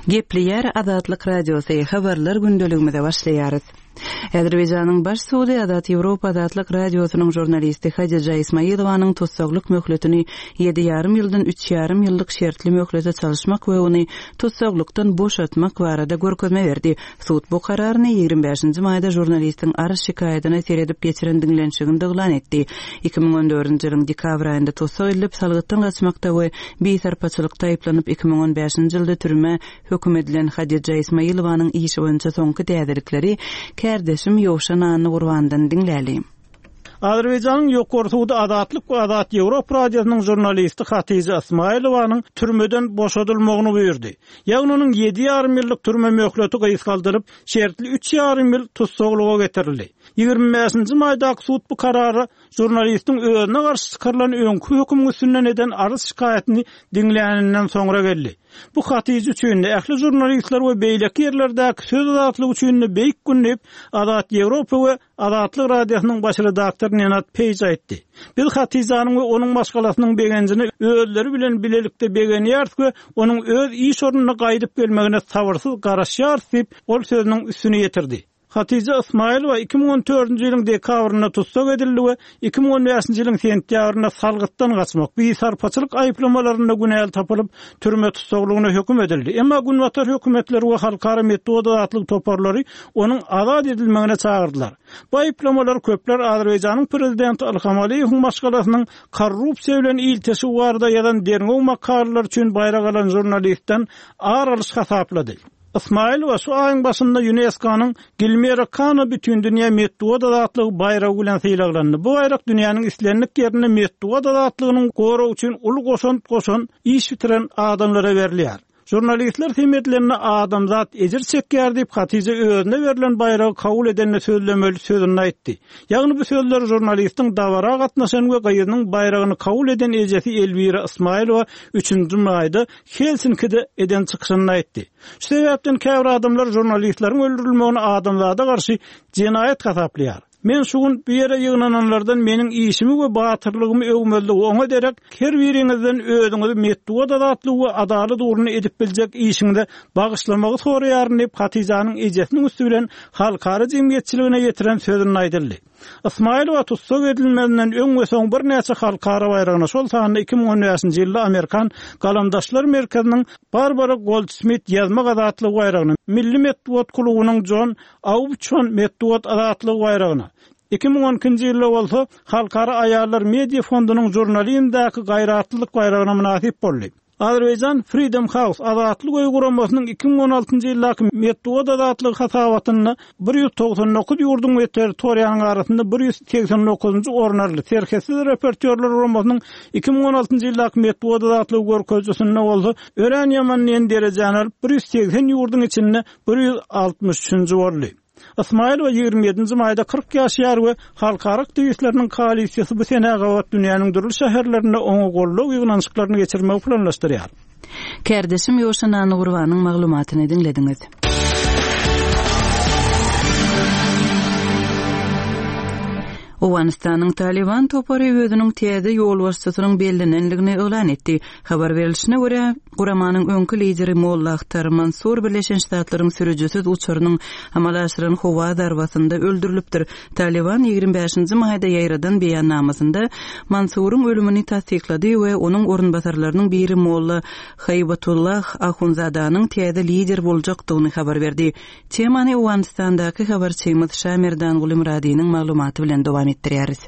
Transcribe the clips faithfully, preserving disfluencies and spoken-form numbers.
Gepleýär Azatlyk Radiosy, habarlar gündeligimize başlaýarys. Azerbaýjanyň Baş sudy Azat Ýewropa Azatlyk Radiosynyň žurnalisti Hadija Ismailowanyň tussaglyk möhletini ýedi ýarym ýyldan üç ýarym ýyllyk şertli möhlete çalyşmak we ony tussaglykdan boşatmak barada görkezme berdi. Sud bu kararyny ýigrimi bäşinji maýda žurnalistiň arz şikaýatyna seredip geçiren diňlenişiginde yglan etdi. Iki müň on dördünji ýylyň dekabr aýynda tussag edilip, salgytdan gaçmakda we bisarpaçylykda aýyplanyp, iki müň on bäşinji ýylda türmä höküm edilen Hadija Ismailowanyň işi boýunça soňky täzelikleri kärdeşim Ýowşan Annagurbandan diňläli. Azerbaýjanyň Ýokary sudy Azatlyk we Azat Ýewropa radiosynyň žurnalisti Hatija Ismailowanyň türmeden boşadylmagyny buýurdy. Ýagny onuň ýedi ýarym ýyllyk türme möhleti gysgaldylyp, şertli üç ýarym ýyl tussaglyga getirildi. Ýigrimi bäşinji maýdaky sud bu karara žurnalistiň özüne garşy çykarylan öňki hökümiň üstünden eden arz şikaýatyny diňläninden soňra geldi. Bu Hatija üçin-de, ähli žurnalistler we beýleki ýerlerdäki söz azatlygy üçin-de beýik gün diýip, Azat Ýewropa we Azatlyk radiosynyň baş redaktory Nenad Peýj aýtdy. Biz Hatijanyň we onuň maşgalasynyň begenjine özleri bilen bilelikde begenýäris we onuň öz iş ornuna gaýdyp gelmegine sabyrsyz garaşýarys diýip, ol sözüniň üstüni ýetirdi. Hatija Ismaýilowa iki müň on dördünji ýylyň dekabrynda tussag edildi we iki müň on bäşinji ýylyň sentýabrynda salgytdan gaçmak, bisarpaçylyk aýyplamalarynda günäli tapylyp, türme tussaglygyna höküm edildi. Emma Günbatar hökümetleri we halkara metbugat azatlyk toparlary onuň azat edilmegine çagyrdylar. Bu aýyplamalar köpler Azerbaýjanyň prezidenti Ilham Aliýewiň maşgalasynyň korrupsiýa bilen ilteşigi barada ýazan derňew makalalary üçin baýrak alan žurnalistden ar alyş hasaplady. Ismaýilowa şu aýyň başynda ÝUNESKO-nyň Gilmero Kano Bütindünýä metbugat azatlygy baýragy bilen sylaglandy. Bu baýrak dünýäniň islendik ýerinde metbugat azatlygynyň goragy üçin uly goşant goşan, iş bitiren adamlara berilýär. Žurnalistler sem edilende adamzat ejir çekýär diýip, Hatija özüne berlen baýragy kabul edende sözlemeli sözüni aýtdy. Ýagny bu sözler žurnalistiň dabara gatnaşan we gyzynyň baýragyny kabul eden ejesi Elwira Ismaýilowa üçünji maýda Helsinkide eden çykyşynda aýtdy. Şu sebäpden käbir adamlar žurnalistleriň öldürilmegini adamzada garşy jenaýat hasaplaýar. Men şu gün bu ýere ýygnananlardan meniň işimi we batyrlygymy öwmezligi oňa derek her biriňizden özüňizi metbugat azatlygy we adalat ugrunda edip biljek işiňize bagyşlamagy soraýaryn diýip, Hatijanyň ejesiniň üsti bilen halkara jemgyýetçiligine ýetiren sözünde aýdyldy. Ismaýilowa tussag edilmezinden öň we soň birnäçe halkara baýragyna, şol sanda iki müň on bäşinji ýylda Amerikan Galamdaşlar merkeziniň Barbara Goldsmit ýazmak azatlygy baýragyna, Milli metbugat klubunyň Jon Aubuçon metbugat azatlygy baýragyna, iki müň on ikinji ýylda bolsa Halkara aýallar media fondunyň žurnalizmdäki gaýratlylyk baýragyna mynasyp boldy. Azerbaýjan Freedom House Azatlyk öýi guramasynyň iki müň on altynjy ýyldaky metbugat azatlygy hasabatynda bir ýüz togsan dokuz ýurduň we territoriýanyň arasynda bir ýüz segsen dokuzynjy orun aldy. Serhetsiz reportýorlar guramasynyň iki müň on altynjy ýyldaky metbugat azatlygy görkezijisinde bolsa örän ýaman diýen derejäni alyp, bir ýüz segsen ýurduň içinde bir ýüz altmyş üçünji boldy. Ismaýilowa ýigrimi ýedinji maýda kyrk ýaşaýar we halkara aktiwistleriniň koalisiýasy bu senä gabat dünýäniň dürli şäherlerinde oňa goldaw ýygnanyşyklaryny geçirmegi planlaşdyrýar. Kärdeşim Ýowşan Annagurbanyň maglumatyny diňlediňiz. Owganystanyň Taliban topary özüniň täze ýolbaşçysynyň bellenendigini yglan etdi. Habar berilişine görä, guramanyň öňki lideri Molla Ahtar Mansur Birleşen Ştatlaryň sürüjisiz uçarynyň amala aşyran howa zarbasynda öldürilipdir. Taliban ýigrimi bäşinji maýda ýaýradan beýannamasynda Mansuryň ölümini tassyklady we onuň orunbasarlarynyň biri Molla Haýbatullah Ahunzadanyň täze lider boljakdygyny habar berdi. Temany Owganystandaky habarçymyz Şamerdanguly Myradynyň maglumaty bilen dowam etdirýäris.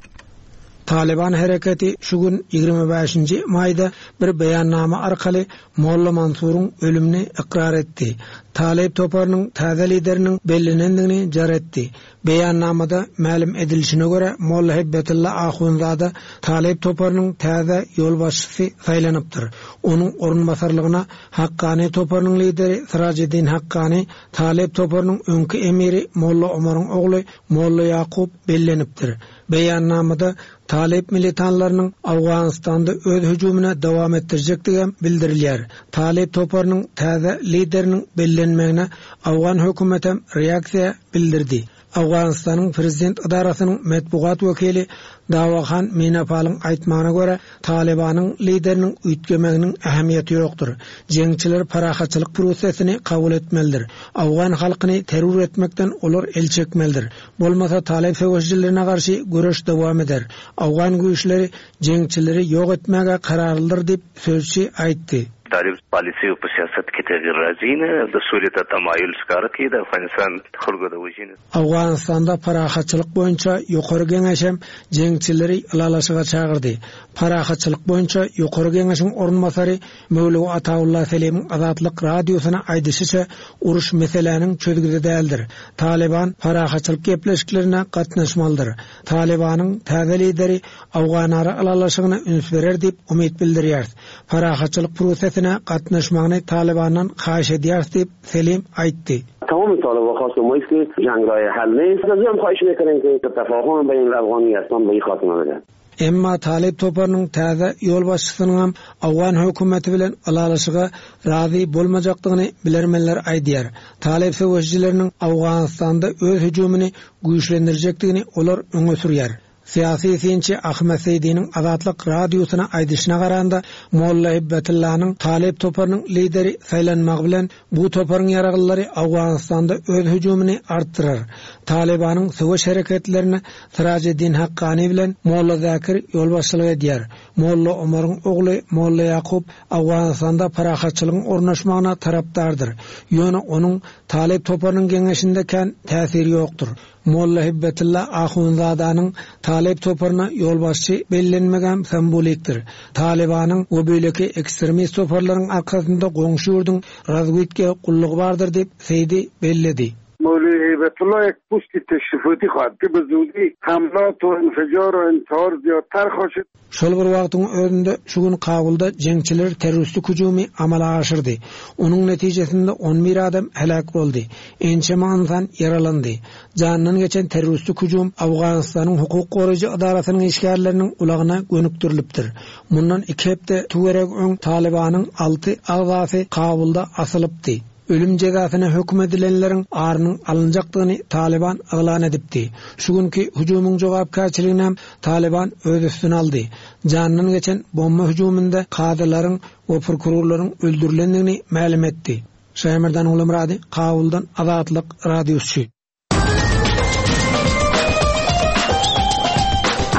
Taliban hereketi şu gün ýigrimi bäşinji maýda bir beýannama arkaly Molla Mansuryň ölümini ykrar etdi. Talib toparynyň täze lideriniň bellenendigini jar etdi. Beýannamada mälim edilişine görä Molla Hibbetulla Ahunzada Talib toparynyň täze ýolbaşçysy saýlanypdyr. Onuň orunbasarlygyna Hakkani toparynyň lideri Sirajiddin Hakkani, Talib toparynyň öňki emiri Molla Omaryň ogly Molla Ýakup bellenipdir. Beýannamada Talib militanlarynyň Owganystanda öz hüjümine dowam etdirjekdigi hem bildirilýär. Talib toparynyň täze lideriniň bellenmegine Owgan hökümeti hem reaksiýa bildirdi. Owganystanyň prezident idarasynyň metbugat wekili Dawahan Minapalyň aýtmagyna görä, Talybanyň lideriniň üýtgemeginiň ähmiýeti ýokdur. Jeňçiler parahatçylyk prosesini kabul etmelidir. Awgan halkyny terror etmekden olar el çekmelidir. Bolmasa Talyp söweşijilerine garşy göreş dowam eder. Awgan güýçleri jeňçileri ýok etmäge kararlydyr diýip, sözçi aýtdy. طالب پالیسي په سیاست کې تغیر راځي نه د سولې ته تمایل ښکاره کوي د افغانستان خلکو د وژنې Owganystanda parahatçylyk boýunça ýokary geňeşem jeňçileri ylalaşyga çagyrdy. Parahatçylyk boýunça ýokary geňeşiň orunbasary Möwlewi Ataullah Selimiň Azatlyk radiosyna aýdyşyça uruş meseläniň çözgüdi däldir. Taliban parahatçylyk gepleşiklerine gatnaşmalydyr. Talibanyň täze lideri Awganara ylalaşygyna üns berer diýip umyt bildirýär. Parahatçylyk prosesine gatnaşmagyny Talibandan haýyş edýär diýip Selim aýtdy. تمام طالبان خواست ما است که جنگ راه حل نیست از هم خواهش میکنیم که تفاهم بین الافغانی اصلا به این خاتمه بده Emma Talip toparynyň täze ýolbaşçysynyň Awgan hökümeti bilen ylalaşyga razy bolmajakdygyny bilermenler aýdýar. Talip söweşijileriniň Awganystanda öz hüjümini güýçlendirjekdigini olar öňe sürýär. Syýasy synçy Ahmet Seýdiniň Azatlyk radiosyna aýdyşyna garanda Molla Hibbetullanyň Talip toparynyň lideri saýlanmagy bilen bu toparyň ýaraglylary Awganystanda öz hüjümini artdyrar. Talibanyň söweş hereketlerine Sirajeddin Hakkani bilen Molla Zakir ýolbaşçylyk edýär. Molla Omaryň ogly Molla Ýakup Awganystanda parahatçylygyň ornaşmagyna tarapdardyr. Ýöne onuň Talip toparynyň geňeşinde kän täsiri ýokdur. Molla Hibbetulla Ahunzadanyň Talip toparyna ýolbaşçy bellenmegem sembolikdir. Talibanyň we beýleki ekstremist toparlaryň arkasynda goňşy ýurduň razwidka gullugy bardyr diýip Seýdi belledi. مولوی هیبت الله یک پست تشریفاتی خواهد که به زودی حملات و انفجار و انتحار زیادتر خواهد شد. Şol bir wagtyň özünde şu gün Kabulda jeňçiler terroristik hüjümi amala aşyrdy. Onuň netijesinde on bir adam helak boldy. Ençeme insan ýaralandy. Jandan geçen terroristik hüjüm Awganystanyň hukuk goraýjy edarasynyň işgärleriniň ulagyna gönükdirilipdir. Mundan iki hepde tüwerek öň Talibanyň alty agzasy Kabulda asylypdy. Ölüm jezasyna höküm edilenleriň arynyň alynjakdygyny Taliban yglan edipdi. Şu günki hüjümiň jogapkärçiligini Taliban öz üstüne aldy. Jandan geçen bomba hüjüminde kadylaryň we prokurorlaryň öldürilendigini mälim etdi. Şaýmerdan Ulamrady, Kabuldan Azatlyk radiosy.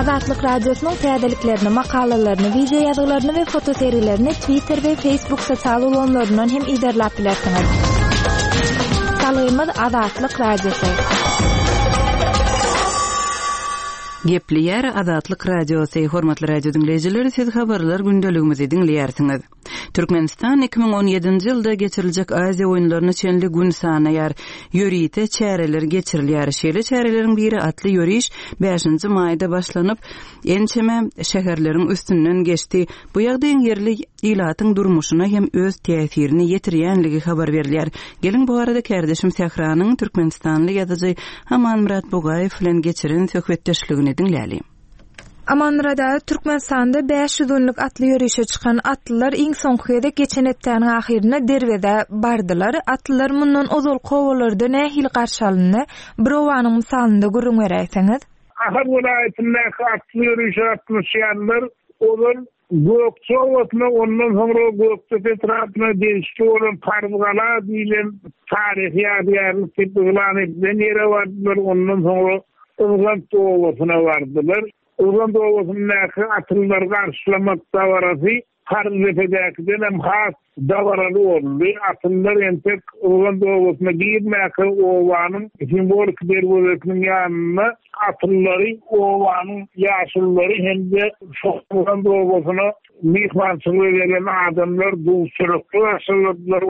Azatlyk radiosynyň täzeliklerini, makalalaryny, video ýazgylaryny we fotoserilerini Twitter we Facebook sosial ulgamlaryndan hem izerläp bilersiňiz. Salgymyz Azatlyk radiosy. Gepleýär Azatlyk radiosy. Hormatly radio diňleýjiler, siz habarlar gündeligimizi diňleýärsiňiz. Türkmenistan iki müň on ýedinji ýylda geçiriljek Aziýa oýunlaryna çenli gün sanaýar. Ýörite çäreler geçirilýär. Şeýle çäreleriň biri atly ýöriş bäşinji maýda başlanyp, ençeme şäherleriň üstünden geçdi. Bu ýagdaýyň ýerli ilatyň durmuşyna hem öz täsirini ýetirýänligi habar berilýär. Geliň bu arada kärdeşim Sähranyň Türkmenistanly ýazyjy Amanmyrat Bugaýew bilen geçiren söhbetdeşligini diňläli. Amanmyrada Türkmenistanda bäş ýüz günlük atly ýörişe çykan atlylar iň soňky gezek geçen hepdäniň ahyryna Derweze bardylar. Atlylar mundan ozal kowalarda nähili garşy alyndy? Bir owanyň mysalynda gürrüň beräýseňiz. Ahal welaýatyndaky atly ýörişe gatnaşýanlar olar Gökçe obasyna, ondan soňra Gökdepe etrapyna degişli bolan Parzgala diýlen taryhy ýadygärlik diýip yglan edilen ýere bardylar. Ondan soňra Yzgant obasyna bardylar. Yzgant obasyndaky atlylar garşylamak dabarasy Parzepedäkiden hem has dabaraly boldy. Atlylar entek Yzgant obasyna girmäkä obanyň simwolik derwezesiniň ýanyna atlylary, obanyň ýaşullary hem-de şol Yzgant obasyna myhmançylyga gelen adamlar duşurykly garşyladylar.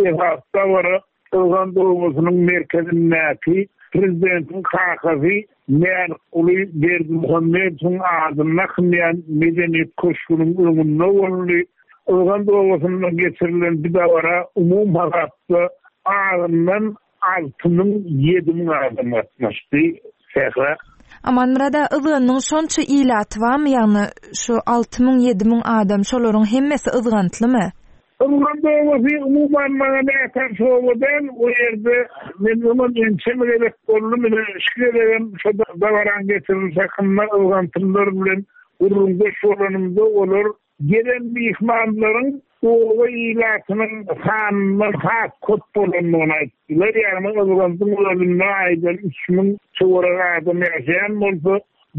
Esas dabara Yzgant obasynyň merkezindäki prezidentiň kakasy Mälikguly Berdimuhamedowyň adyna kylýan medeniýet köşgüniň öňünde boldy. Yzgant obasynda geçirilen bir dabara umum hasapda azyndan alty müň ýedi müň adam gatnaşdy. Sähra. Amanmyrada Yzganyň şonça ilaty barmy? Ýagny şu alty müň ýedi müň adam şolaryň hemmesi Yzgantlymy? Yzgant obasy umuman maňa nätanyş oba däl, o ýerde men öňem ençeme gezek boldum, ine şu gezegem şo dabaraň geçirilişi hakynda yzgantlylar bilen gürrüňdeş bolanymda olar gelen myhmanlaryň oba ilatynyň sanyndan has köp bolandygyny aýtdylar. Ýagny Yzgantyň özünde aýdan üç müň töweregi adam ýaşaýan bolsa,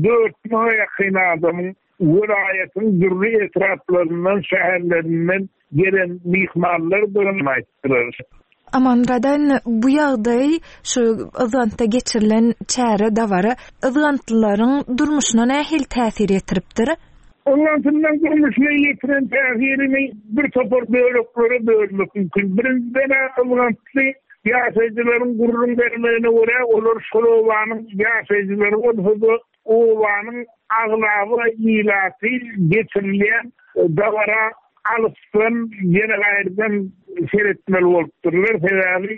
dört müňe ýakyn adamyň welaýatyň dürli etraplaryndan, şäherlerinden gelen myhmanlardygyny aýtdylar. Amanmyrat indi bu ýagdaý şu Yzgantda geçirilen çäre, dabara yzgantlylaryň durmuşyna nähili täsir ýetiripdir? Yzgantlylaryň durmuşyna ýetiren täsirini bir topar böleklere bölmek mümkin. Birinjiden-ä yzgantly ýaşaýjylaryň gürrüň bermegine görä, olar şol obanyň ýaşaýjylary bolsa-da, obanyň aglaba ilaty geçirilýän dabara alysdan ýene gaýradan seretmeli bolupdyrlar. Sebäbi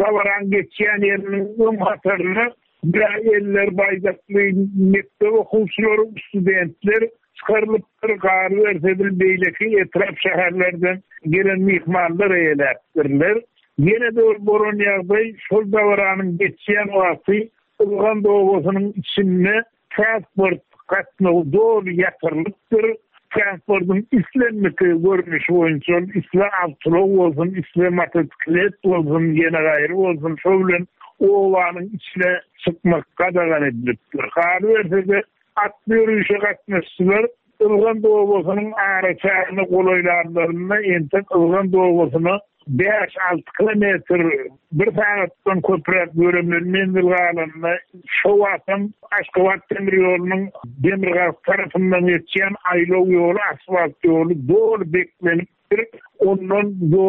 dabaraň geçýän ýeriniň öň hatarynda bir eller baýdakly mekdep okuwçylary, studentler çykarylypdyr, galyberse-de beýleki etrap şäherlerden gelen myhmanlar eýeläpdirler. Ýene-de bir bolan ýagdaý, şol dabaranyň geçýän wagty Yzgant obasynyň içinde transport gatnawy doly ýatyrylypdyr. Transportyň islendik görnüşi boýunça, isle awtoulag bolsun, isle motosiklet bolsun, ýene gaýry bolsun, şol bilen obanyň içine çykmak gadagan edilipdir. Galyberse-de atly ýörişe gatnaşyjylar Yzgant obasynyň araçägine golaýlanlarynda entek Yzgant obasyna bäş-alty kilometr bir sagatdan köpräk ýöremeli menzil galanda, şo wagtam Aşgabat demir ýolunyň demirgazyk tarapyndan geçýän aýlaw ýoly, asfalt ýoly doly beklenipdir. Ondan bu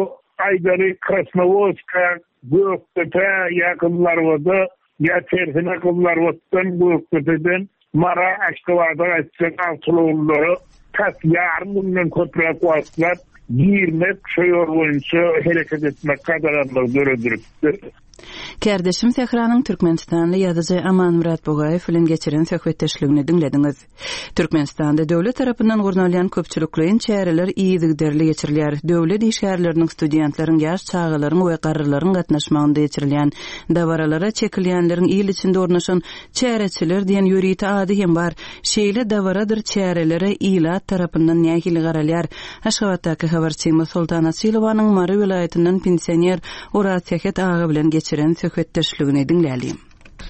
aýdaly Krasnowodska, Gökdepe ýa Gyzlarbada ýa tersine Gyzlarbatdan, Gökdepeden Mara, Aşgabada gaýtjak awtoulaglara tas ýarym günden köpräk wagtlap girmek, şo ýol boýunça hereket etmek gadaganlygy döredilipdir. Kärdeşim Sähranyň türkmenistanly ýazyjy Amanmyrat Bugaýew bilen geçiren söhbetdeşligini diňlediňiz. Türkmenistanda döwlet tarapyndan gurnalýan köpçülikleýin çäreler yzygiderli geçirilýär. Döwlet işgärleriniň, studentleriň, ýaş çagalaryň we garrylaryň gatnaşmagynda geçirilýän dabaralara çekilýänleriň il içinde ornaşan çäreçiler diýen ýörite ady hem bar. Şeýle dabaradyr çärelere ilat tarapyndan nähili garalýar? Aşgabatdaky habarçymyz Soltan Açylowanyň Mary welaýatyndan pensioner Oraz Sähet aga bilen geçiren söhbetdeşligini diňlälim.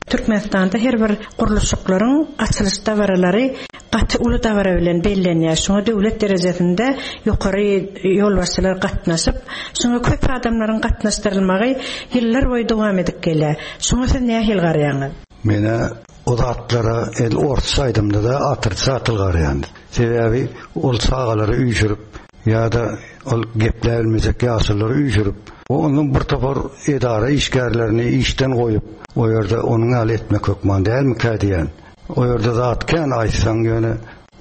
Türkmenistanda her bir gurluşyklaryň açylyş dabaralary gaty uly dabara bilen bellenýär. Şoňa döwlet derejesinde ýokary ýolbaşçylar gatnaşyp, şoňa köp adamlaryň gatnaşdyrylmagy ýyllar boýy dowam edip gelýär. Şoňa siz nähili garaýaňyz? Menä o zatlara el ortça aýdymda da atyrça atyl garaýan. Sebäbi ol çagalary üýşürip ýa-da ol gepläp bilmejek ýaşulylary üýşürip, onuň bir topar edara işgärlerini işden goýup, o ýerde onuň ýaly etmek hökman dälmikä diýen. O ýerde zat kän aýtsaň, ýöne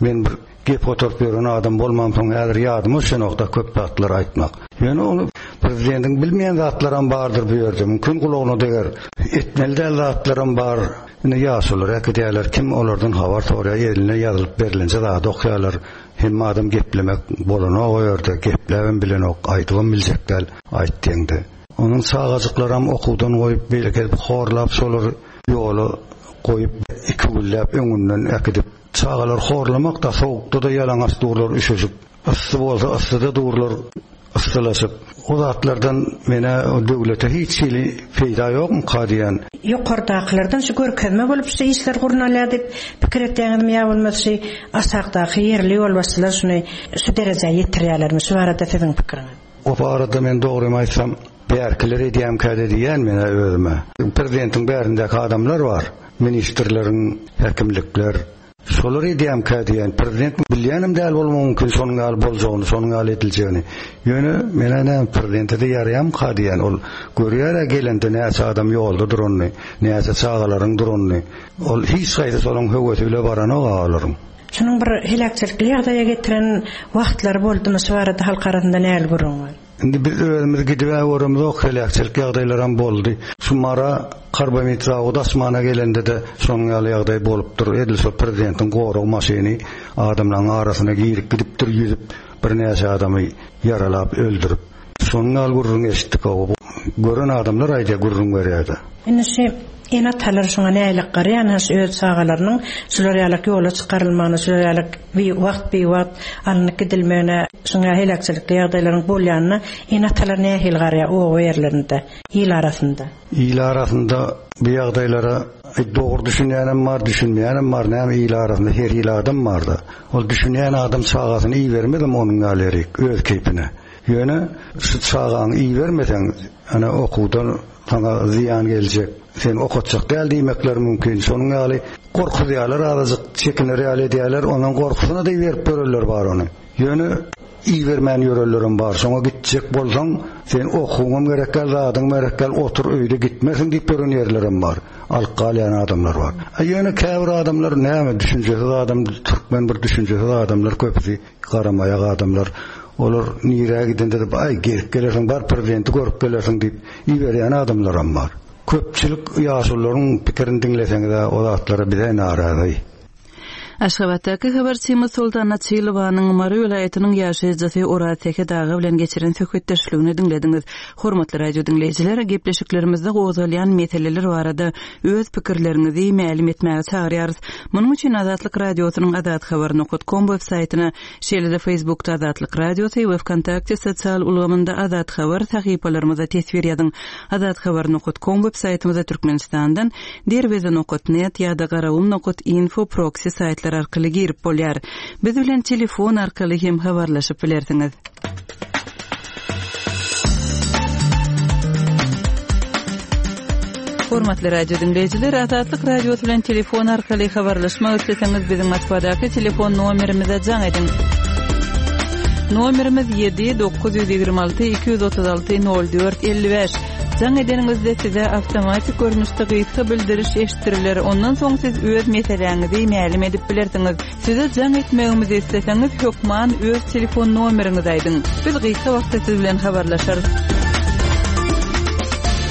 men bir gep oturyp ýören adam bolmamsoň häzir ýadyma düşenok-da köp zatlar aýtmak. Ýöne ony prezidentiň bilmeýän zatlaram bardyr bu ýerde. Mümkin gulagyna deger. Etmeli däl zatlaram bar. Ine ýaşulylar äkidýärler, kim olardan habar soraýar, eline ýazylyp berilenje zady okaýarlar. Hemme adam geplemek bolanok o ýerde, gepläbem bilenok, aýdybam biljek däl, aýt diýende. Onuň çagajyklaram okuwdan goýup, beýleki edip horlap, şolary ýola goýup, iki günläp öňünden äkidip, çagalar horlamak da sowukda da ýalaňaç durlar üşüşip, yssy bolsa yssyda durlar yssylaşyp. O zatlardan menä o döwlete hiç hili peýda ýokmyka diýen. Ýokardakylardan şu görkezme bolup şu işler gurnalýar diýip pikir etýäňizmi ýa bolmasa şu aşakdaky ýerli ýolbaşçylar şuny şu derejä ýetirýärlermi? Şu barada siziň pikiriňiz? O barada men dogrymy aýtsam, bärkiler edýämkä diýen menä özüme. Prezidentiň bärindäki adamlar bar, ministrleriň, häkimlikler. Şolar edýämkä diýen, prezident bilýänim däl bolmagy mümkin şonuň ýaly boljagyny, şonuň ýaly ediljegini. Ýöne menä näme prezidente de ýaraýamka diýen, ol görýär-ä gelende näçe adam ýolda duranyny, näçe çagalaryň duranyny. Ol hiç haýsy şonuň höwesi bile baranok olaryň. Şunuň bir heläkçilikli ýagdaýa getiren wagtlary boldumy? Şu barada halk arasynda nähili gürrüň bar? Indi biz özümiz gidip-ä göremizok, heläkçilik ýagdaýlaram boldy. Şu Mara karbamid zawody asmana gelende-de şonuň ýaly ýagdaý bolupdyr. Edil şo prezidentiň gorag maşyny adamlaryň arasyna girip gidipdir, ýüzüp Birnäçe adamy ýaralap öldürip. Şonuň ýaly gürrüň eşitdik. Gören adamlar aýdýar, gürrüň berýärdi. Indi şu ene-atalar şoňa nälik garaýan, öz çagalarynyň şular ýaly ýola çykarylmagyna, şular ýaly wagt bir wagt alnyp gidilmegine, şoňa heläkçilikli ýagdaýlaryň bolýanyna ene-atalar nähili garaýar oba ýerlerinde, il arasynda? Il arasynda bu ýagdaýlara dogry düşünýänem bar, düşünmeýänem bar. Näme il arasynda her il adam barda. Ol düşünýän adam çagasyny ibermezem onuň ýaly öz keýpine. Ýöne şu çagaňy ibermeseň, ana okuwdan sana zyýan geljek, sen okatjak däl diýmekler mümkin. Şonuň ýaly gorkuzýarlar, azajyk çekinler ýaly edýärler, onuň gorkusyna da berip görerler bar ony. Ýöne ibermän ýörerlerim bar. Şoňa gitjek bolsaň, sen okuwyňam gerek gel, zadyň gerek gel, otur öýde gitmesin diýip gören ýerlerim bar. Alyp galýan adamlar bar. Ýöne käbir adamlar näme düşünjesiz adam, türkmen bir düşünjesiz adamlar köpüsi garamaýak adamlar. Olar nirä gidende de ay gelip gelersiň bar prezidenti görüp gelersiň diýip iberýän adamlaram bar. Köpçülik ýaşulularyň pikirini diňleseňiz o zatlara bize narazy. Aşgabatdaky habarçymyz Soltan Açylowanyň Mary welaýatynyň ýaşaýjysy Oraz Seket aga bilen geçiren söhbetdeşligini diňlediňiz. Hormatly radio diňleýjiler, gepleşiklerimizde gozgalýan meseleler barada öz pikirleriňizi mälim etmäge çagyrýarys. Munuň üçin Azatlyk radiosynyň azathabar.com web saýtyna, şeýle-de Facebookda Azatlyk radiosy we VKontakte sosial ulgamynda Azat Habar sahypalarymyza teswir ýazyň. azathabar.com web saýtymyzda Türkmenistandan derweze.net ýa-da garawum.info proxy saýtlar arkaly girip bolýar. Biz bilen telefon arkaly hem habarlaşyp bilersiňiz. Hormatly radio dinleýjiler, Azatlyk radiosy bilen telefon arkaly habarlaşmak isleseňiz biziň Moskwadaky telefon nomerimize jaň ediň. Nomerimiz ýedi dokuz ýüz ýigrimi alty iki ýüz otuz alty nol dört elli bäş. Jaň edeniňizde size awtomatik görnüşde gysga bildiriş eşitdiriler. Ondan soň siz öz meseläňizi mälim edip bilersiňiz. Size jaň etmegimizi isleseňiz hökman öz telefon nomeriňizi aýdyň. Biz gysga wagtda siz bilen habarlaşarys.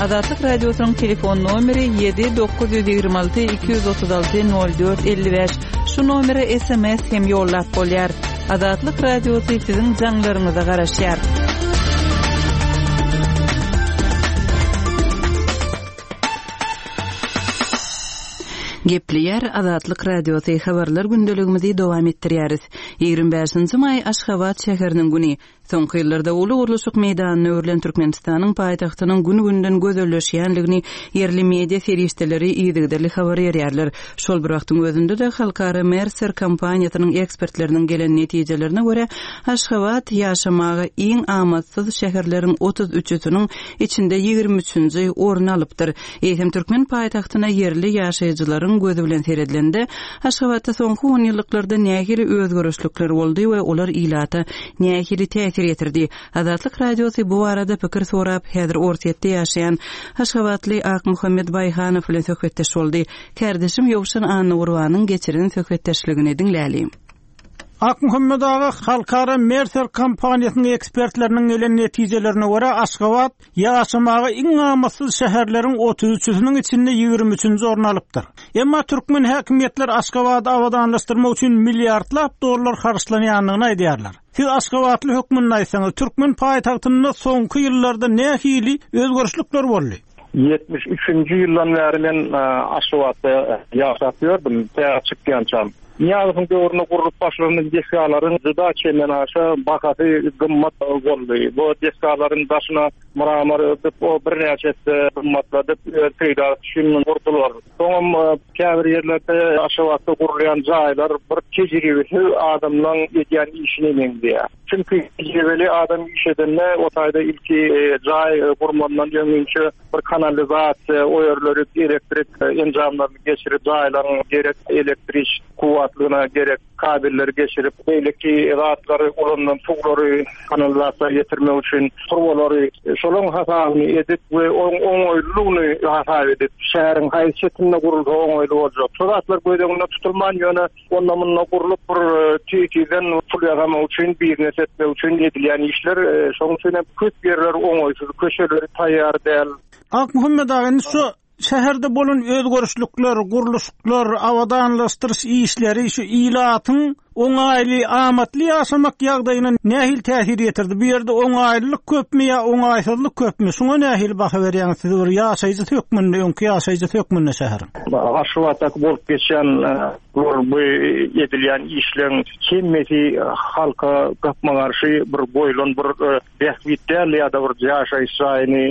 Azatlyk radiosynyň telefon nomeri ýedi dokuz ýüz ýigrimi alty iki ýüz otuz alty nol dört elli bäş. Şu nomere S M S hem ýollap bolýar. Azatlyk radiosy siziň jaňlaryňyza garaşýar. Gepleýär Azatlyk radiosy habarlar gündeligimizi dowam etdirýäris. Ýigrimi bäşinji maý Aşgabat şäheriniň güni. Soňky ýyllarda uly gurluşyk meýdanyna öwrülen Türkmenistanyň paýtagtynyň gün-günden gözelleşýänligini ýerli media serişdeleri yzygiderli habar berýärler. Şol bir wagtyň özünde-de halkara Mercer kompaniýasynyň ekspertleriniň gelen netijelerine görä Aşgabat ýaşamaga iň amatsyz şäherleriň otuz üçüsiniň içinde ýigrimi üçünji orun alypdyr. Eýsem türkmen paýtagtyna ýerli ýaşaýjylaryň gözi bilen seredilende Aşgabatda soňky on ýyllyklarda nähili özgerişlikler boldy we olar ilata nähili täsir ýetirdi. Azatlyk radiosy bu barada pikir sorap, häzir Orsýetde ýaşaýan Aşgabatly Akmuhammet Baýhanow bilen söhbetdeş boldy. Kardeşim Ýowşan Annagurbanyň geçiren söhbetdeşligini diňläli. Akmuhammet aga halkara Mercer kompaniýasynyň ekspertleriniň gelen netijelerine görä Aşgabat ýaşamaga iň amatsyz şäherleriň otuz üçüsiniň içinde ýigrimi üçünji orun alypdyr. Emma türkmen häkimiýetler Aşgabady abadanlaşdyrmak üçin milliardlap dollar harçlanýandygyny aýdýarlar. Siz Aşgabatly hökmünde aýtsaňyz, türkmen paýtagtynda soňky ýyllarda nähili özgerişlikler boldy? Ýetmiş üçünji ýyldan bäri men, e, Aşgabatda ýaşap ýördüm, tä çykýançam. Niýazowyň döwründe gurlup başlanan desgalaryň juda çenden aşa bahasy gymmat boldy. Bu desgalaryň daşyna mramor örtüp, o birnäçe esse gymmatladyp, öz peýdasy üçin gurdular. Soňam, e, käbir ýerlerde Aşgabatda gurulýan jaýlar bir tejribesiz adamlaryň edýän işine meňzeýär. Çünki tejribeli adam iş edende o taýda ilki, e, jaý, e, gurmandan öňünçe bir kanalizasiýa, o ýerleri elektrik, e, enjamlaryny geçirip, jaýlaryň gerek elektrik kuwwatlygyna gerek kabelleri geçirip, beýleki zatlary ulanylan suwlary kanalizasiýa ýetirmek üçin turbalary, e, şolaryň hasabyny edip we oň oňaýlylygyny hasap edip, şäheriň haýsy çetinde gurulsa oňaýly boljak. Şu zatlar göz öňünde tutulman, ýöne onda munda gurlup bir, e, tizden pul ýasamak üçin, biznes etmek üçin edilýän işler, e, şonuň üçin hem köp ýerler oňaýsyz, köşeleri taýýar däl. Akmuhammet aga, indi şu şäherde bolan özgerişlikler, gurluşyklar, abadanlaşdyryş işleri şu ilatyň oňaýly, amatly ýaşamak ýagdaýyna nähili täsir ýetirdi? Bu ýerde oňaýlylyk köpmi ýa oňaýsyzlyk köpmi? Şuňa nähili baha berýäňiz siz bir ýaşaýjy hökmünde, öňki ýaşaýjy hökmünde şäheriň? Aşgabatdaky bolup geçen bu edilýän işleň hemmesi halka gapma garşy bir goýlan bir bähbit däl ýa-da bir ýaşaýyş jaýyny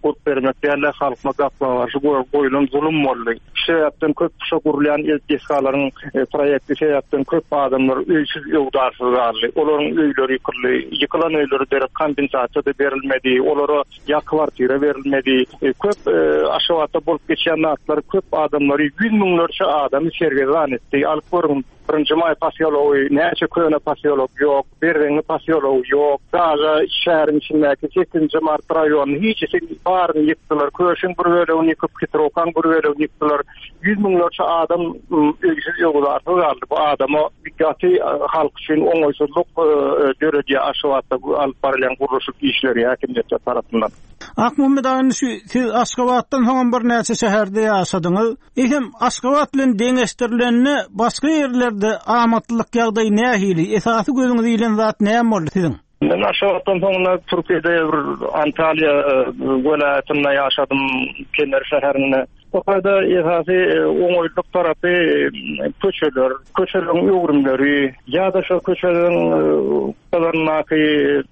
gurup bermek däl, halka gapma garşy goýlan zulum boldy. Şu sebäpden köp şo gurulýan desgalaryň proýekti sebäpden köp adamlar öýsüz öwdarsyz galdy. Olaryň öýleri ýykyldy, ýykylan öýleri derek kompensasiýa da berilmedi, olara ýa kwartira berilmedi. Köp Aşgabatda bolup geçen zatlar köp adamlary ýüz müňlerçe adamy sergezdan etdi. Alyp görüň, birinji maý posýology, näçe köne posýolog ýok, Berzeňňi posýology ýok. Daga şäheriň içindäki sekizinji mart raýonyny hiç baryny ýykdylar. Köşüň bir bölegini ýykyp, Kitrokan bir bölegini ýykdylar. Ýüz müňlerçe adam öýsüz öwdarsyz galdy. Bu adama gaty halk üçin oňaýsyzlyk döredýär Aşgabatda alyp barylýan gurluşyk işleri häkimiýetler tarapyndan. Akmuhammet aga, şu siz Aşgabatdan soň bir näçe şäherde ýaşadyňyz. Ehem Aşgabat bilen deňeşdirilende başga ýerlerde amatlylyk ýagdaýy nähili? Esasy gözüňize ilen zat näme boldy siziň? Men Aşgabatdan soňra Türkiýede bir Antalýa welaýatynda ýaşadym, Kemer şäherinde. Tokayda esasy oňaýlyk tarapy köçeler, köçeleriň öwrümleri ýa-da şo köçeleriň galaryndaky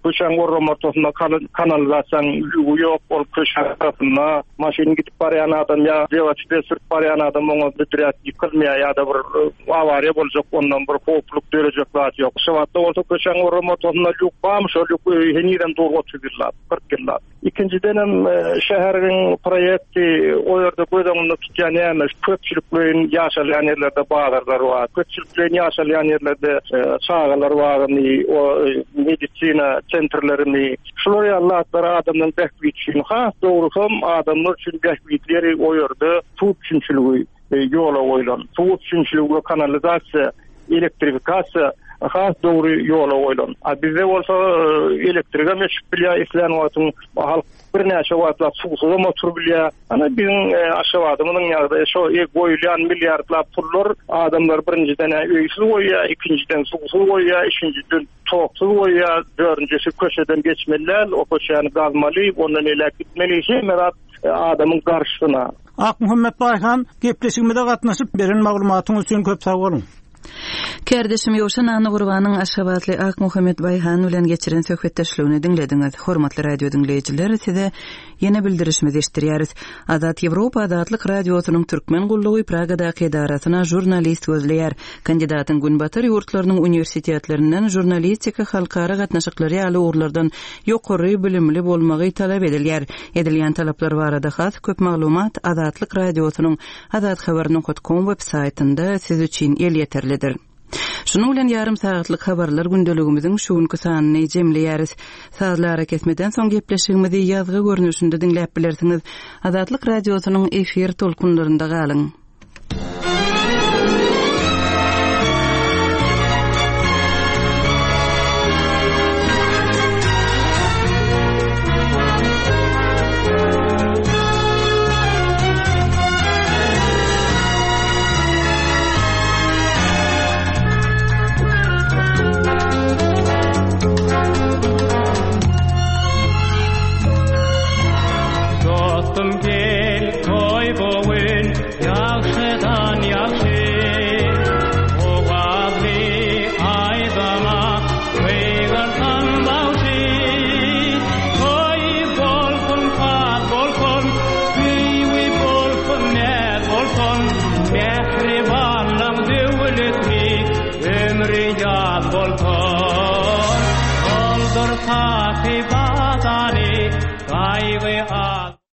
köçäň orramortasynda kanalizasiýanyň lügi ýok, ol köçe tarapynda maşyn gidip barýan adam ýa welosiped sürüp barýan adam oňa büdräp ýykylmaýar ýa-da bir awariýa boljak, ondan bir howpluk dörejek zat ýok. Aşgabatda bolsa köçäň orramortasynda lük barmy, şol lük henizem dur otuz ýyllap, kyrk ýyllap. Ikinciden hem şäheriň proýekti o ýerde göz öňünde tutýan näme? Köpçülikleýin ýaşalýan ýerlerde bazarlar bar. Köpçülikleýin ýaşalýan ýerlerde çagalar bagyny, o medisina sentrlerini, şular ýaly zatlar adamlaryň bähbidi üçin, has dogrusam adamlar üçin bähbitleri o ýerde suw üpjünçiligi ýola goýlan. Suw üpjünçiligi we kanalizasiýa, elektrifikasiýa has dogry ýola goýlan. A bizde bolsa elektrige meçip bilýär, islän wagtyň halk birnäçe wagtlap suwsuzam oturyp bilýär. Ana biziň Aşgabadymyzyň ýagdaýy şo goýulýan milliardlap pullar adamlar birinjiden öýsüz goýýar, ikinjiden suwsuz goýýar, üçünjiden toksuz goýýar, dördünjisi köçeden geçmeli däl, o köçäni gazmaly, ondan elek gitmeli, hemme zat adamyň garşysyna. Akmuhammet Baýhan, gepleşigimize gatnaşyp beren maglumatyňyz üçin köp sag boluň. Kärdeşim Ýowşan Annagurbanyň Aşgabatly Akmuhammet Baýhan bilen geçiren söhbetdeşligini diňlediňiz. Hormatly radio diňleýjiler, size ýene bildirişimizi eşitdirýäris. Azat Ýewropa Azatlyk Radiosynyň Türkmen gullugy Pragadaky edarasyna žurnalist gözleýär. Kandidatyň Günbatar ýurtlarynyň uniwersitetlerinden žurnalistika, halkara gatnaşyklary ýaly ugurlardan ýokary bilimli bolmagy talap edilýär. Edilýän talaplar barada has köp maglumat Azatlyk Radiosynyň azathabar nokta com web saýtynda siz üçin elýeterlidir. Şunuň bilen ýarym sagatlyk habarlar gündeligimiziň şu günki sanyny jemleýäris. Sazly ara kesmeden soň gepleşigimizi ýazgy görnüşinde diňläp bilersiňiz. Azatlyk Radiosynyň efir tolkunlarynda galyň. Oldur sahi badani, gaýgy